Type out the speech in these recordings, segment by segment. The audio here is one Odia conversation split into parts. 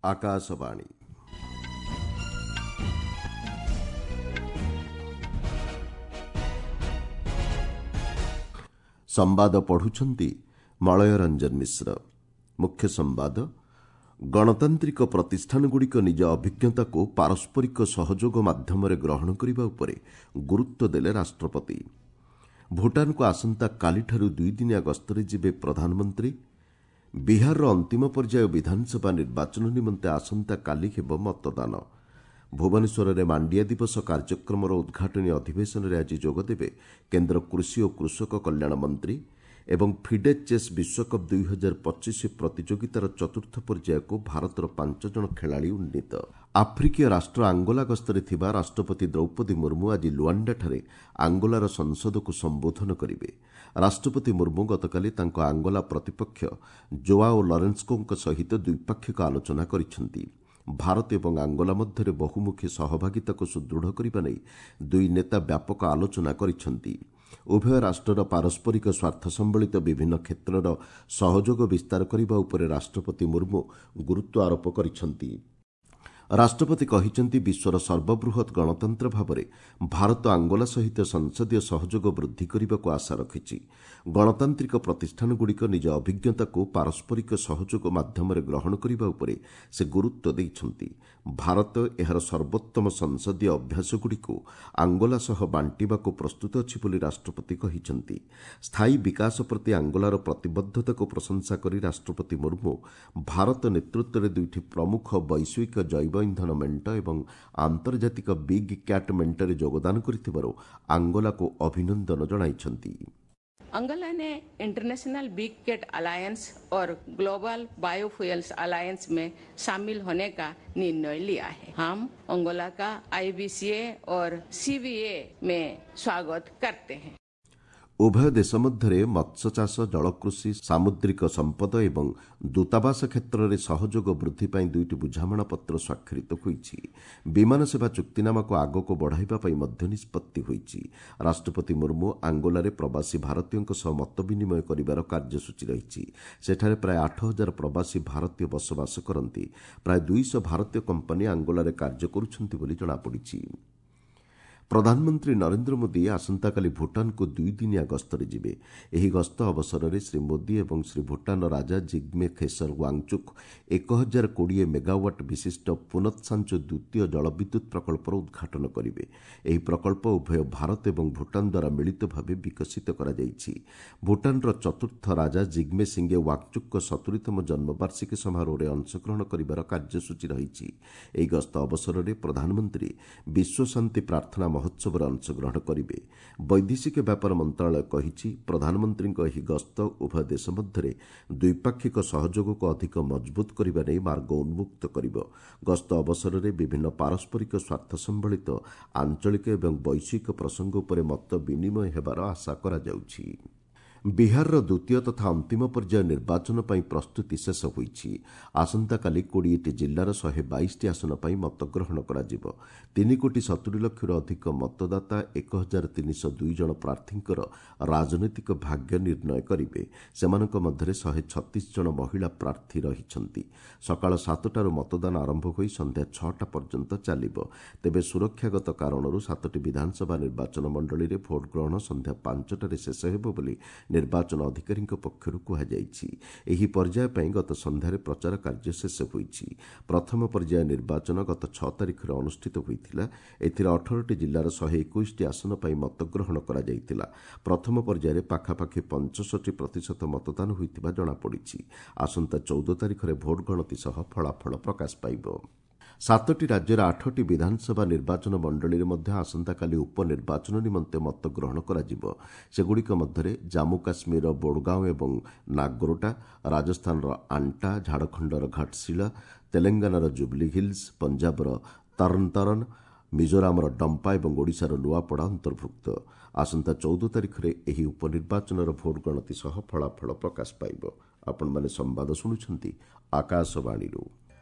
ଆକାଶବାଣୀ। ସମ୍ବାଦ ପଢୁଛନ୍ତି ମଳୟ ରଞ୍ଜନ ମିଶ୍ର। ମୁଖ୍ୟ ସମ୍ବାଦ, ଗଣତାନ୍ତ୍ରିକ ପ୍ରତିଷ୍ଠାନଗୁଡ଼ିକ ନିଜ ଅଭିଜ୍ଞତାକୁ ପାରସ୍ପରିକ ସହଯୋଗ ମାଧ୍ୟମରେ ଗ୍ରହଣ କରିବା ଉପରେ ଗୁରୁତ୍ୱ ଦେଲେ ରାଷ୍ଟ୍ରପତି। ଭୁଟାନକୁ ଆସନ୍ତାକାଲିଠାରୁ ଦୁଇଦିନିଆ ଗସ୍ତରେ ଯିବେ ପ୍ରଧାନମନ୍ତ୍ରୀ। ବିହାରର ଅନ୍ତିମ ପର୍ଯ୍ୟାୟ ବିଧାନସଭା ନିର୍ବାଚନ ନିମନ୍ତେ ଆସନ୍ତାକାଲି ହେବ ମତଦାନ। ଭୁବନେଶ୍ୱରରେ ମାଣ୍ଡିଆ ଦିବସ କାର୍ଯ୍ୟକ୍ରମର ଉଦ୍ଘାଟନୀ ଅଧିବେଶନରେ ଆଜି ଯୋଗଦେବେ କେନ୍ଦ୍ର କୃଷି ଓ କୃଷକ କଲ୍ୟାଣ ମନ୍ତ୍ରୀ। ଏବଂ ଫିଡେ ଚେସ୍ ବିଶ୍ୱକପ୍ 2025 ପ୍ରତିଯୋଗିତାର ଚତୁର୍ଥ ପର୍ଯ୍ୟାୟକୁ ଭାରତର 5 ଜଣ ଖେଳାଳି ଉନ୍ନୀତ। ଆଫ୍ରିକୀୟ ରାଷ୍ଟ୍ର ଆଙ୍ଗୋଲା ଗସ୍ତରେ ଥିବା ରାଷ୍ଟ୍ରପତି ଦ୍ରୌପଦୀ ମୁର୍ମୁ ଆଜି ଲୁଆଣ୍ଡାଠାରେ ଆଙ୍ଗୋଲାର ସଂସଦକୁ ସମ୍ବୋଧନ କରିବେ। ରାଷ୍ଟ୍ରପତି ମୁର୍ମୁ ଗତକାଲି ତାଙ୍କ ଆଙ୍ଗୋଲା ପ୍ରତିପକ୍ଷ ଜୋଆଓ ଲରେନ୍ସୋଙ୍କ ସହିତ ଦ୍ୱିପାକ୍ଷିକ ଆଲୋଚନା କରିଛନ୍ତି। ଭାରତ ଏବଂ ଆଙ୍ଗୋଲା ମଧ୍ୟରେ ବହୁମୁଖୀ ସହଭାଗିତାକୁ ସୁଦୃଢ଼ କରିବା ନେଇ ଦୁଇ ନେତା ବ୍ୟାପକ ଆଲୋଚନା କରିଛନ୍ତି। ଉଭୟ ରାଷ୍ଟ୍ରର ପାରସ୍ପରିକ ସ୍ୱାର୍ଥ ସମ୍ବଳିତ ବିଭିନ୍ନ କ୍ଷେତ୍ରର ସହଯୋଗ ବିସ୍ତାର କରିବା ଉପରେ ରାଷ୍ଟ୍ରପତି ମୁର୍ମୁ ଗୁରୁତ୍ୱ ଆରୋପ କରିଛନ୍ତି। ରାଷ୍ଟ୍ରପତି କହିଛନ୍ତି, ବିଶ୍ୱର ସର୍ବବୃହତ୍ ଗଣତନ୍ତ୍ର ଭାବରେ ଭାରତ ଆଙ୍ଗୋଲା ସହିତ ସଂସଦୀୟ ସହଯୋଗ ବୃଦ୍ଧି କରିବାକୁ ଆଶା ରଖିଛି। ଗଣତାନ୍ତ୍ରିକ ପ୍ରତିଷ୍ଠାନଗୁଡ଼ିକ ନିଜ ଅଭିଜ୍ଞତାକୁ ପାରସ୍ପରିକ ସହଯୋଗ ମାଧ୍ୟମରେ ଗ୍ରହଣ କରିବା ଉପରେ ସେ ଗୁରୁତ୍ୱ ଦେଇଛନ୍ତି। ଭାରତ ଏହାର ସର୍ବୋତ୍ତମ ସଂସଦୀୟ ଅଭ୍ୟାସଗୁଡ଼ିକୁ ଆଙ୍ଗୋଲା ସହ ବାଣ୍ଟିବାକୁ ପ୍ରସ୍ତୁତ ଅଛି ବୋଲି ରାଷ୍ଟ୍ରପତି କହିଛନ୍ତି। ସ୍ଥାୟୀ ବିକାଶ ପ୍ରତି ଆଙ୍ଗୋଲାର ପ୍ରତିବଦ୍ଧତାକୁ ପ୍ରଶଂସା କରି ରାଷ୍ଟ୍ରପତି ମୁର୍ମୁ ଭାରତ ନେତୃତ୍ୱରେ ଦୁଇଟି ପ୍ରମୁଖ ବୈଶ୍ୱିକ ଜୈବ ଇନ୍ଧନ ମେଣ୍ଟ ଏବଂ ଆନ୍ତର୍ଜାତିକ ବିଗ୍ କ୍ୟାଟ୍ ମେଣ୍ଟରେ ଯୋଗଦାନ କରିଥିବାରୁ ଆଙ୍ଗୋଲାକୁ ଅଭିନନ୍ଦନ ଜଣାଇଛନ୍ତି। अंगोला ने इंटरनेशनल बिग कैट अलायंस और ग्लोबल बायोफ्यूल्स अलायंस में शामिल होने का निर्णय लिया है। हम अंगोला का आईबीसीए और सीबीए में स्वागत करते हैं। ଉଭୟ ଦେଶ ମଧ୍ୟରେ ମତ୍ସ୍ୟଚାଷ, ଜଳକୃଷି, ସାମୁଦ୍ରିକ ସମ୍ପଦ ଏବଂ ଦୂତାବାସ କ୍ଷେତ୍ରରେ ସହଯୋଗ ବୃଦ୍ଧି ପାଇଁ ଦୁଇଟି ବୁଝାମଣାପତ୍ର ସ୍ୱାକ୍ଷରିତ ହୋଇଛି। ବିମାନ ସେବା ଚୁକ୍ତିନାମାକୁ ଆଗକୁ ବଢ଼ାଇବା ପାଇଁ ମଧ୍ୟ ନିଷ୍ପତ୍ତି ହୋଇଛି। ରାଷ୍ଟ୍ରପତି ମୁର୍ମୁ ଆଙ୍ଗୋଲାରେ ପ୍ରବାସୀ ଭାରତୀୟଙ୍କ ସହ ମତ ବିନିମୟ କରିବାର କାର୍ଯ୍ୟସୂଚୀ ରହିଛି। ସେଠାରେ ପ୍ରାୟ 8000 ପ୍ରବାସୀ ଭାରତୀୟ ବସବାସ କରନ୍ତି। ପ୍ରାୟ 200 ଭାରତୀୟ କମ୍ପାନୀ ଆଙ୍ଗୋଲାରେ କାର୍ଯ୍ୟ କରୁଛନ୍ତି ବୋଲି ଜଣାପଡ଼ିଛି। ପ୍ରଧାନମନ୍ତ୍ରୀ ନରେନ୍ଦ୍ର ମୋଦି ଆସନ୍ତାକାଲି ଭୁଟାନକୁ ଦୁଇଦିନିଆ ଗସ୍ତରେ ଯିବେ। ଏହି ଗସ୍ତ ଅବସରରେ ଶ୍ରୀ ମୋଦି ଏବଂ ଶ୍ରୀ ଭୁଟାନର ରାଜା ଜିଗ୍ମେ ଖେସର ୱାଙ୍ଗଚୁକ୍ 1020 ମେଗାୱାଟ୍ ବିଶିଷ୍ଟ ପୁନତ୍ସାଞ୍ଚୁ ଦ୍ୱିତୀୟ ଜଳବିଦ୍ୟୁତ୍ ପ୍ରକଳ୍ପର ଉଦ୍ଘାଟନ କରିବେ। ଏହି ପ୍ରକଳ୍ପ ଉଭୟ ଭାରତ ଏବଂ ଭୁଟାନ ଦ୍ୱାରା ମିଳିତ ଭାବେ ବିକଶିତ କରାଯାଇଛି। ଭୁଟାନର ଚତୁର୍ଥ ରାଜା ଜିଗ୍ମେ ସିଙ୍ଗେ ୱାଙ୍ଗଚୁକ୍ଙ୍କ 70ତମ ଜନ୍ମବାର୍ଷିକୀ ସମାରୋହରେ ଅଂଶଗ୍ରହଣ କରିବାର କାର୍ଯ୍ୟସୂଚୀ ରହିଛି। ଏହି ଗସ୍ତ ଅବସରରେ ପ୍ରଧାନମନ୍ତ୍ରୀ ବିଶ୍ୱ ଶାନ୍ତି ପ୍ରାର୍ଥନା ମହୋତ୍ସବରେ ଅଂଶଗ୍ରହଣ କରିବେ। ବୈଦେଶିକ ବ୍ୟାପାର ମନ୍ତ୍ରଣାଳୟ କହିଛି, ପ୍ରଧାନମନ୍ତ୍ରୀଙ୍କ ଏହି ଗସ୍ତ ଉଭୟ ଦେଶ ମଧ୍ୟରେ ଦ୍ୱିପାକ୍ଷିକ ସହଯୋଗକୁ ଅଧିକ ମଜବୁତ କରିବା ନେଇ ମାର୍ଗ ଉନ୍ମୁକ୍ତ କରିବ। ଗସ୍ତ ଅବସରରେ ବିଭିନ୍ନ ପାରସ୍ପରିକ ସ୍ୱାର୍ଥ ସମ୍ବଳିତ ଆଞ୍ଚଳିକ ଏବଂ ବୈଶ୍ୱିକ ପ୍ରସଙ୍ଗ ଉପରେ ମତ ବିନିମୟ ହେବାର ଆଶା କରାଯାଉଛି। ବିହାରର ଦ୍ୱିତୀୟ ତଥା ଅନ୍ତିମ ପର୍ଯ୍ୟାୟ ନିର୍ବାଚନ ପାଇଁ ପ୍ରସ୍ତୁତି ଶେଷ ହୋଇଛି। ଆସନ୍ତାକାଲି 20ଟି ଜିଲ୍ଲାର 122ଟି ଆସନ ପାଇଁ ମତଗ୍ରହଣ କରାଯିବ। 3 କୋଟି 70 ଲକ୍ଷରୁ ଅଧିକ ମତଦାତା 1302 ଜଣ ପ୍ରାର୍ଥୀଙ୍କର ରାଜନୈତିକ ଭାଗ୍ୟ ନିର୍ଣ୍ଣୟ କରିବେ। ସେମାନଙ୍କ ମଧ୍ୟରେ 136 ଜଣ ମହିଳା ପ୍ରାର୍ଥୀ ରହିଛନ୍ତି। ସକାଳ 7ଟାରୁ ମତଦାନ ଆରମ୍ଭ ହୋଇ ସନ୍ଧ୍ୟା 6ଟା ପର୍ଯ୍ୟନ୍ତ ଚାଲିବ। ତେବେ ସୁରକ୍ଷାଗତ କାରଣରୁ 7ଟି ବିଧାନସଭା ନିର୍ବାଚନ ମଣ୍ଡଳୀରେ ଭୋଟ୍ ଗ୍ରହଣ ସନ୍ଧ୍ୟା 5ଟାରେ ଶେଷ ହେବ ବୋଲି ନିର୍ବାଚନ ଅଧିକାରୀଙ୍କ ପକ୍ଷରୁ କୁହାଯାଇଛି। ଏହି ପର୍ଯ୍ୟାୟ ପାଇଁ ଗତ ସନ୍ଧ୍ୟାରେ ପ୍ରଚାର କାର୍ଯ୍ୟ ଶେଷ ହୋଇଛି। ପ୍ରଥମ ପର୍ଯ୍ୟାୟ ନିର୍ବାଚନ ଗତ 6 ତାରିଖରେ ଅନୁଷ୍ଠିତ ହୋଇଥିଲା। ଏଥିରେ 18ଟି ଜିଲ୍ଲାର 121ଟି ଆସନ ପାଇଁ ମତଗ୍ରହଣ କରାଯାଇଥିଲା। ପ୍ରଥମ ପର୍ଯ୍ୟାୟରେ ପାଖାପାଖି 65% ମତଦାନ ହୋଇଥିବା ଜଣାପଡ଼ିଛି। ଆସନ୍ତା 14 ତାରିଖରେ ଭୋଟ୍ ଗଣତି ସହ ଫଳାଫଳ ପ୍ରକାଶ ପାଇବ। 7ଟି ରାଜ୍ୟର 8ଟି ବିଧାନସଭା ନିର୍ବାଚନ ମଣ୍ଡଳୀରେ ମଧ୍ୟ ଆସନ୍ତାକାଲି ଉପନିର୍ବାଚନ ନିମନ୍ତେ ମତଗ୍ରହଣ କରାଯିବ। ସେଗୁଡ଼ିକ ମଧ୍ୟରେ ଜାମ୍ମୁ କାଶ୍ମୀରର ବୋଡଗାଓଁ ଏବଂ ନାଗ୍ରୋଟା, ରାଜସ୍ଥାନର ଆଣ୍ଟା, ଝାଡ଼ଖଣ୍ଡର ଘାଟଶିଳା, ତେଲେଙ୍ଗାନାର ଜୁବଲି ହିଲ୍ସ, ପଞ୍ଜାବର ତରନତରନ, ମିଜୋରାମର ଡମ୍ପା ଏବଂ ଓଡ଼ିଶାର ନୂଆପଡ଼ା ଅନ୍ତର୍ଭୁକ୍ତ। ଆସନ୍ତା 14 ତାରିଖରେ ଏହି ଉପନିର୍ବାଚନର ଭୋଟ୍ ଗଣତି ସହ ଫଳାଫଳ ପ୍ରକାଶ ପାଇବ। ଆପଣମାନେ ସମ୍ବାଦ ଶୁଣୁଛନ୍ତି ଆକାଶବାଣୀରୁ।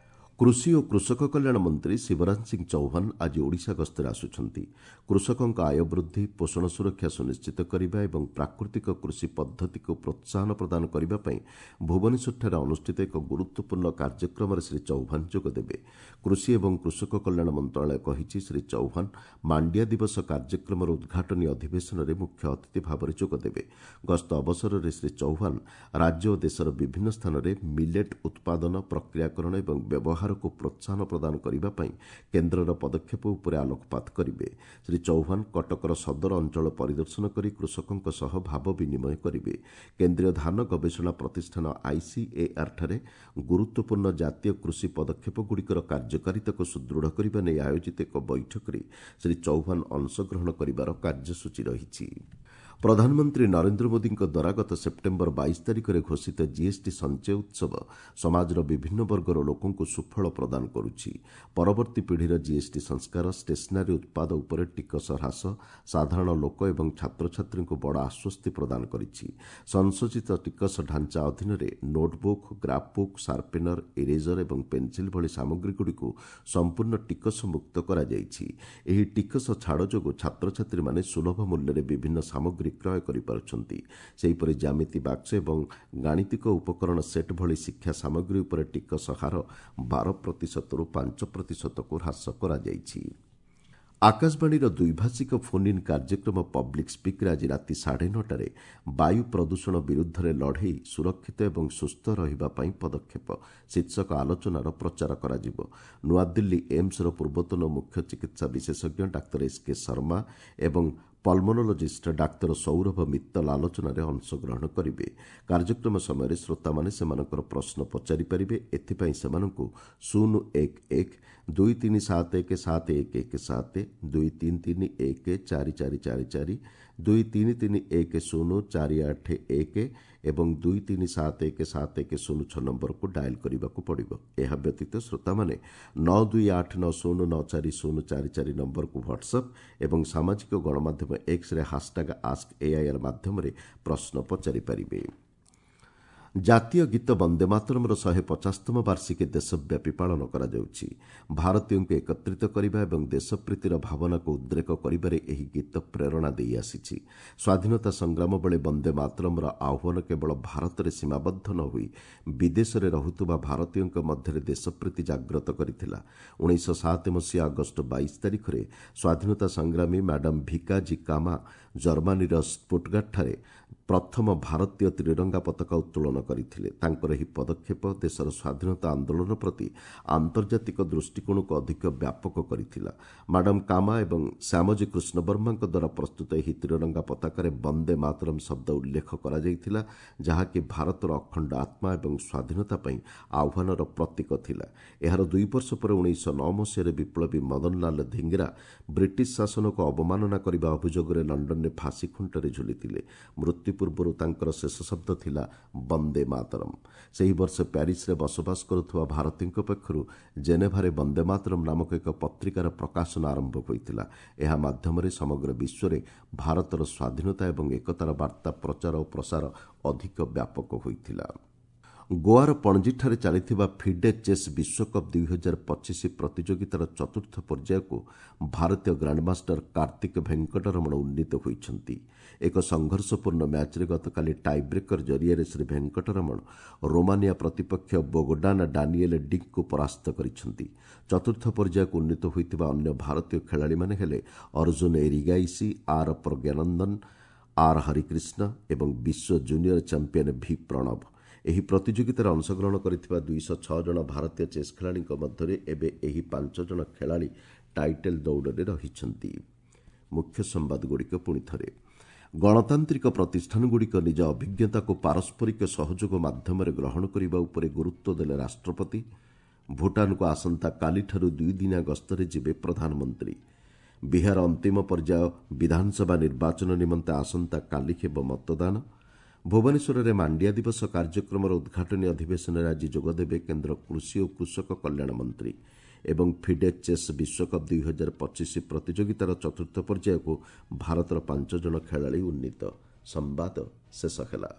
କୃଷି ଓ କୃଷକ କଲ୍ୟାଣ ମନ୍ତ୍ରୀ ଶିବରାଜ ସିଂ ଚୌହାନ ଆଜି ଓଡ଼ିଶା ଗସ୍ତରେ ଆସୁଛନ୍ତି। କୃଷକଙ୍କ ଆୟ ବୃଦ୍ଧି, ପୋଷଣ ସୁରକ୍ଷା ସୁନିଶ୍ଚିତ କରିବା ଏବଂ ପ୍ରାକୃତିକ କୃଷି ପଦ୍ଧତିକୁ ପ୍ରୋତ୍ସାହନ ପ୍ରଦାନ କରିବା ପାଇଁ ଭୁବନେଶ୍ୱରଠାରେ ଅନୁଷ୍ଠିତ ଏକ ଗୁରୁତ୍ୱପୂର୍ଣ୍ଣ କାର୍ଯ୍ୟକ୍ରମରେ ଶ୍ରୀ ଚୌହାନ ଯୋଗଦେବେ। କୃଷି ଏବଂ କୃଷକ କଲ୍ୟାଣ ମନ୍ତ୍ରଣାଳୟ କହିଛି, ଶ୍ରୀ ଚୌହାନ ମାଣ୍ଡିଆ ଦିବସ କାର୍ଯ୍ୟକ୍ରମର ଉଦ୍ଘାଟନୀ ଅଧିବେଶନରେ ମୁଖ୍ୟ ଅତିଥି ଭାବରେ ଯୋଗଦେବେ। ଗସ୍ତ ଅବସରରେ ଶ୍ରୀ ଚୌହାନ ରାଜ୍ୟ ଓ ଦେଶର ବିଭିନ୍ନ ସ୍ଥାନରେ ମିଲେଟ୍ ଉତ୍ପାଦନ, ପ୍ରକ୍ରିୟାକରଣ ଏବଂ ବ୍ୟବହାର କୁ ପ୍ରୋତ୍ସାହନ ପ୍ରଦାନ କରିବା ପାଇଁ କେନ୍ଦ୍ରର ପଦକ୍ଷେପ ଉପରେ ଆଲୋକପାତ କରିବେ। ଶ୍ରୀ ଚୌହାନ କଟକର ସଦର ଅଞ୍ଚଳ ପରିଦର୍ଶନ କରି କୃଷକଙ୍କ ସହ ଭାବ ବିନିମୟ କରିବେ। କେନ୍ଦ୍ରୀୟ ଧାନ ଗବେଷଣା ପ୍ରତିଷ୍ଠାନ ଆଇସିଏଆର୍ଠାରେ ଗୁରୁତ୍ୱପୂର୍ଣ୍ଣ ଜାତୀୟ କୃଷି ପଦକ୍ଷେପଗୁଡ଼ିକର କାର୍ଯ୍ୟକାରିତାକୁ ସୁଦୃଢ଼ କରିବା ନେଇ ଆୟୋଜିତ ଏକ ବୈଠକରେ ଶ୍ରୀ ଚୌହାନ ଅଂଶଗ୍ରହଣ କରିବାର କାର୍ଯ୍ୟସୂଚୀ ରହିଛି। ପ୍ରଧାନମନ୍ତ୍ରୀ ନରେନ୍ଦ୍ର ମୋଦିଙ୍କ ଦ୍ୱାରା ଗତ ସେପ୍ଟେମ୍ବର 22 ତାରିଖରେ ଘୋଷିତ ଜିଏସ୍ଟି ସଞ୍ଚୟ ଉତ୍ସବ ସମାଜର ବିଭିନ୍ନ ବର୍ଗର ଲୋକଙ୍କୁ ସୁଫଳ ପ୍ରଦାନ କରୁଛି। ପରବର୍ତ୍ତୀ ପିଢ଼ିର ଜିଏସ୍ଟି ସଂସ୍କାର, ଷ୍ଟେସନାରୀ ଉତ୍ପାଦ ଉପରେ ଟିକସ ହ୍ରାସ ସାଧାରଣ ଲୋକ ଏବଂ ଛାତ୍ରଛାତ୍ରୀଙ୍କୁ ବଡ଼ ଆଶ୍ୱସ୍ତି ପ୍ରଦାନ କରିଛି। ସଂଶୋଧିତ ଟିକସ ଢାଞ୍ଚା ଅଧୀନରେ ନୋଟ୍ବୁକ୍, ଗ୍ରାଫ୍ବୁକ୍, ସାର୍ପେନର, ଇରେଜର ଏବଂ ପେନ୍ସିଲ୍ ଭଳି ସାମଗ୍ରୀଗୁଡ଼ିକୁ ସମ୍ପୂର୍ଣ୍ଣ ଟିକସମୁକ୍ତ କରାଯାଇଛି। ଏହି ଟିକସ ଛାଡ଼ ଯୋଗୁଁ ଛାତ୍ରଛାତ୍ରୀମାନେ ସୁଲଭ ମୂଲ୍ୟରେ ବିଭିନ୍ନ ସାମଗ୍ରୀ କ୍ରୟ କରିପାରୁଛନ୍ତି। ସେହିପରି ଜ୍ୟାମିତି ବାକ୍ସ ଏବଂ ଗାଣିତିକ ଉପକରଣ ସେଟ୍ ଭଳି ଶିକ୍ଷା ସାମଗ୍ରୀ ଉପରେ ଟିକସ ହାର 12 ପ୍ରତିଶତରୁ 5 ପ୍ରତିଶତକୁ ହ୍ରାସ କରାଯାଇଛି। ଆକାଶବାଣୀର ଦ୍ୱିଭାଷିକ ଫୋନ୍ ଇନ୍ କାର୍ଯ୍ୟକ୍ରମ ପବ୍ଲିକ୍ ସ୍ପିକ୍ରେ ଆଜି ରାତି 9:30ରେ "ବାୟୁ ପ୍ରଦୂଷଣ ବିରୁଦ୍ଧରେ ଲଢ଼େଇ: ସୁରକ୍ଷିତ ଏବଂ ସୁସ୍ଥ ରହିବା ପାଇଁ ପଦକ୍ଷେପ" ଶୀର୍ଷକ ଆଲୋଚନାର ପ୍ରଚାର କରାଯିବ। ନୂଆଦିଲ୍ଲୀ ଏମ୍ସର ପୂର୍ବତନ ମୁଖ୍ୟ ଚିକିତ୍ସା ବିଶେଷଜ୍ଞ ଡାକ୍ତର ଏସ୍ କେ ଶର୍ମା ଏବଂ ପଲ୍ମୋନୋଲୋଜିଷ୍ଟ ଡାକ୍ତର ସୌରଭ ମିତ୍ତଲ ଆଲୋଚନାରେ ଅଂଶଗ୍ରହଣ କରିବେ। କାର୍ଯ୍ୟକ୍ରମ ସମୟରେ ଶ୍ରୋତାମାନେ ସେମାନଙ୍କର ପ୍ରଶ୍ନ ପଚାରିପାରିବେ। ଏଥିପାଇଁ ସେମାନଙ୍କୁ 011 2371 7117, 2331 4444, 2331 0481 ଏବଂ 2371 7106 ନମ୍ବରକୁ ଡାଏଲ୍ କରିବାକୁ ପଡ଼ିବ। ଏହା ବ୍ୟତୀତ ଶ୍ରୋତାମାନେ 9289094044 ନମ୍ବରକୁ ହ୍ୱାଟ୍ସଆପ୍ ଏବଂ ସାମାଜିକ ଗଣମାଧ୍ୟମ ଏକ୍ସରେ ହାସ୍‌ଟ୍ୟାଗ୍ ଆସ୍କ ଏଆଇଆର୍ ମାଧ୍ୟମରେ ପ୍ରଶ୍ନ ପଚାରିପାରିବେ। ଜାତୀୟ ଗୀତ ବନ୍ଦେ ମାତରମ୍ର 150ତମ ବାର୍ଷିକୀ ଦେଶବ୍ୟାପୀ ପାଳନ କରାଯାଉଛି। ଭାରତୀୟଙ୍କୁ ଏକତ୍ରିତ କରିବା ଏବଂ ଦେଶପ୍ରୀତିର ଭାବନାକୁ ଉଦ୍ରେକ କରିବାରେ ଏହି ଗୀତ ପ୍ରେରଣା ଦେଇ ଆସିଛି। ସ୍ୱାଧୀନତା ସଂଗ୍ରାମ ବେଳେ ବନ୍ଦେ ମାତରମ୍ର ଆହ୍ୱାନ କେବଳ ଭାରତରେ ସୀମାବଦ୍ଧ ନ ହୋଇ ବିଦେଶରେ ରହୁଥିବା ଭାରତୀୟଙ୍କ ମଧ୍ୟରେ ଦେଶପ୍ରୀତି ଜାଗ୍ରତ କରିଥିଲା। 1907 ମସିହା ଅଗଷ୍ଟ 22 ତାରିଖରେ ସ୍ୱାଧୀନତା ସଂଗ୍ରାମୀ ମ୍ୟାଡାମ୍ ଭିକାଜୀ କାମା ଜର୍ମାନୀର ଷ୍ଟୁଟଗାର୍ଟଠାରେ ପ୍ରଥମ ଭାରତୀୟ ତ୍ରିରଙ୍ଗା ପତାକା ଉତ୍ତୋଳନ କରିଥିଲେ। ତାଙ୍କର ଏହି ପଦକ୍ଷେପ ଦେଶର ସ୍ୱାଧୀନତା ଆନ୍ଦୋଳନ ପ୍ରତି ଆନ୍ତର୍ଜାତିକ ଦୃଷ୍ଟିକୋଣକୁ ଅଧିକ ବ୍ୟାପକ କରିଥିଲା। ମାଡାମ୍ କାମା ଏବଂ ଶ୍ୟାମଜୀ କୃଷ୍ଣବର୍ମାଙ୍କ ଦ୍ୱାରା ପ୍ରସ୍ତୁତ ଏହି ତ୍ରିରଙ୍ଗା ପତାକାରେ ବନ୍ଦେ ମାତରମ୍ ଶବ୍ଦ ଉଲ୍ଲେଖ କରାଯାଇଥିଲା, ଯାହାକି ଭାରତର ଅଖଣ୍ଡ ଆତ୍ମା ଏବଂ ସ୍ୱାଧୀନତା ପାଇଁ ଆହ୍ୱାନର ପ୍ରତୀକ ଥିଲା। ଏହାର 2 ବର୍ଷ ପରେ 1909 ମସିହାରେ ବିପ୍ଳବୀ ମଦନଲାଲ ଧିଙ୍ଗରା ବ୍ରିଟିଶ ଶାସନକୁ ଅବମାନନା କରିବା ଅଭିଯୋଗରେ ଲଣ୍ଡନରେ ଫାଶୀ ଖୁଣ୍ଟରେ ଝୁଲିଥିଲେ। ମୃତ୍ୟୁ ପୂର୍ବରୁ ତାଙ୍କର ଶେଷ ଶବ୍ଦ ଥିଲା ବନ୍ଦେ ମାତରମ୍। ସେହି ବର୍ଷ ପ୍ୟାରିସରେ ବସବାସ କରୁଥିବା ଭାରତୀୟଙ୍କ ପକ୍ଷରୁ ଜେନେଭାରେ ବନ୍ଦେ ମାତରମ୍ ନାମକ ଏକ ପତ୍ରିକାର ପ୍ରକାଶନ ଆରମ୍ଭ ହୋଇଥିଲା। ଏହା ମାଧ୍ୟମରେ ସମଗ୍ର ବିଶ୍ୱରେ ଭାରତର ସ୍ୱାଧୀନତା ଏବଂ ଏକତାର ବାର୍ତ୍ତା ପ୍ରଚାର ଓ ପ୍ରସାର ଅଧିକ ବ୍ୟାପକ ହୋଇଥିଲା। ଗୋଆର ପଣଜୀଠାରେ ଚାଲିଥିବା ଫିଡେ ଚେସ୍ ବିଶ୍ୱକପ୍ 2025 ପ୍ରତିଯୋଗିତାର ଚତୁର୍ଥ ପର୍ଯ୍ୟାୟକୁ ଭାରତୀୟ ଗ୍ରାଣ୍ଡମାଷ୍ଟର କାର୍ତ୍ତିକ ଭେଙ୍କଟରମଣ ଉନ୍ନୀତ ହୋଇଛନ୍ତି। ଏକ ସଂଘର୍ଷପୂର୍ଣ୍ଣ ମ୍ୟାଚ୍ରେ ଗତକାଲି ଟାଇବ୍ରେକର ଜରିଆରେ ଶ୍ରୀ ଭେଙ୍କଟରମଣ ରୋମାନିଆ ପ୍ରତିପକ୍ଷ ବୋଗଡାନ ଡାନିଏଲ୍ ଡିକ୍ଙ୍କୁ ପରାସ୍ତ କରିଛନ୍ତି। ଚତୁର୍ଥ ପର୍ଯ୍ୟାୟକୁ ଉନ୍ନୀତ ହୋଇଥିବା ଅନ୍ୟ ଭାରତୀୟ ଖେଳାଳିମାନେ ହେଲେ ଅର୍ଜୁନ ଏରିଗାଇସି, ଆର୍ ପ୍ରଜ୍ଞାନନ୍ଦନ, ଆର୍ ହରିକ୍ରିଷ୍ଣ ଏବଂ ବିଶ୍ୱ ଜୁନିୟର ଚାମ୍ପିୟନ ଭି ପ୍ରଣବ। ଏହି ପ୍ରତିଯୋଗିତାରେ ଅଂଶଗ୍ରହଣ କରିଥିବା 206 ଜଣ ଭାରତୀୟ ଚେସ୍ ଖେଳାଳିଙ୍କ ମଧ୍ୟରେ ଏବେ ଏହି ପାଞ୍ଚ ଜଣ ଖେଳାଳି ଟାଇଟଲ୍ ଦୌଡ଼ରେ ରହିଛନ୍ତି। ମୁଖ୍ୟ ସମ୍ବାଦଗୁଡ଼ିକ ପୁଣି ଥରେ। ଗଣତାନ୍ତ୍ରିକ ପ୍ରତିଷ୍ଠାନଗୁଡ଼ିକ ନିଜ ଅଭିଜ୍ଞତାକୁ ପାରସ୍ପରିକ ସହଯୋଗ ମାଧ୍ୟମରେ ଗ୍ରହଣ କରିବା ଉପରେ ଗୁରୁତ୍ୱ ଦେଲେ ରାଷ୍ଟ୍ରପତି। ଭୁଟାନକୁ ଆସନ୍ତାକାଲିଠାରୁ ଦୁଇଦିନିଆ ଗସ୍ତରେ ଯିବେ ପ୍ରଧାନମନ୍ତ୍ରୀ। ବିହାର ଅନ୍ତିମ ପର୍ଯ୍ୟାୟ ବିଧାନସଭା ନିର୍ବାଚନ ନିମନ୍ତେ ଆସନ୍ତାକାଲି ହେବ ମତଦାନ। ଭୁବନେଶ୍ୱରରେ ମାଣ୍ଡିଆ ଦିବସ କାର୍ଯ୍ୟକ୍ରମର ଉଦ୍ଘାଟନୀ ଅଧିବେଶନରେ ଆଜି ଯୋଗଦେବେ କେନ୍ଦ୍ର କୃଷି ଓ କୃଷକ କଲ୍ୟାଣ ମନ୍ତ୍ରୀ। ଏବଂ ଫିଡେ ଚେସ୍ ବିଶ୍ୱକପ୍ 2025 ପ୍ରତିଯୋଗିତାର ଚତୁର୍ଥ ପର୍ଯ୍ୟାୟକୁ ଭାରତର ପାଞ୍ଚ ଜଣ ଖେଳାଳି ଉନ୍ନୀତ। ସମ୍ବାଦ ଶେଷ ହେଲା।